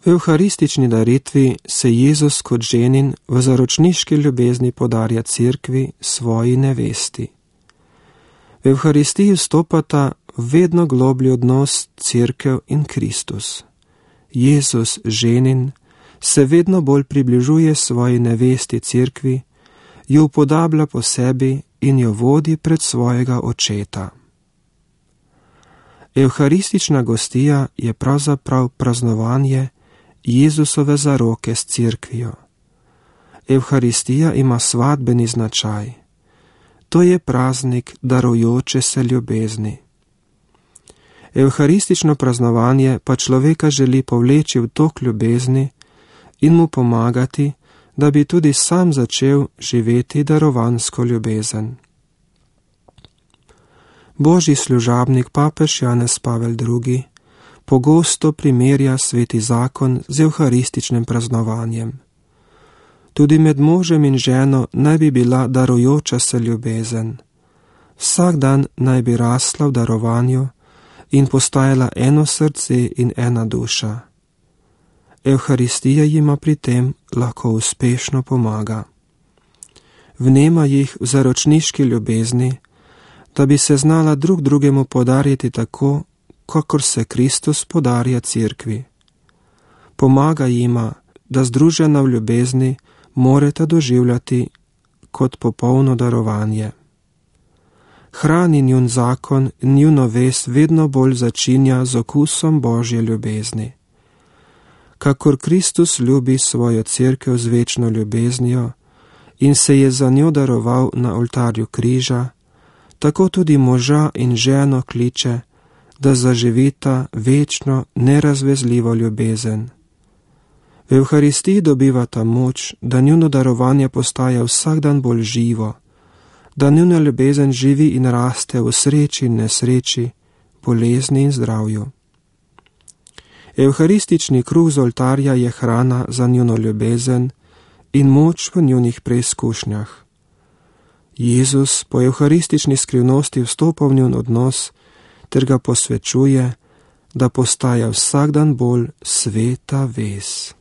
V evharistični daritvi se Jezus kot ženin v zaročniški ljubezni podarja cerkvi, svoji nevesti. V evharistiji vstopata vedno globlji odnos cerkev in Kristus. Jezus, ženin, se vedno bolj približuje svoji nevesti cerkvi, jo upodablja po sebi in jo vodi pred svojega očeta. Evharistična gostija je pravzaprav praznovanje Jezusove zaroke s cerkvijo. Evharistija ima svadbeni značaj. To je praznik darujoče se ljubezni. Evharistično praznovanje pa človeka želi povleči v tok ljubezni in mu pomagati, da bi tudi sam začel živeti darovansko ljubezen. Božji služabnik papež Janez Pavel II. Pogosto primerja sveti zakon z evharističnim praznovanjem. Tudi med možem in ženo naj bi bila darujoča se ljubezen. Vsak dan naj bi rasla v darovanju in postajala eno srce in ena duša. Evharistija jima pri tem lahko uspešno pomaga. Vnema jih v zaročniški ljubezni, da bi se znala drug drugemu podariti tako, kakor se Kristus podarja cerkvi. Pomaga jima, da združena v ljubezni morata doživljati kot popolno darovanje. Hrani njun zakon in njuno vest vedno bolj začinja z okusom Božje ljubezni. Kakor Kristus ljubi svojo cerkev z večno ljubeznijo in se je za njo daroval na oltarju križa, tako tudi moža in ženo kliče, da zaživita večno, nerazvezljivo ljubezen. V evharistiji dobivata moč, da njuno darovanje postaja vsak dan bolj živo, da njuna ljubezen živi in raste v sreči in nesreči, bolezni in zdravju. Evharistični kruh z oltarja je hrana za njuno ljubezen in moč v njunih preizkušnjah. Jezus po evharistični skrivnosti vstopa v njun odnos ter ga posvečuje, da postaja vsak dan bolj sveta vez.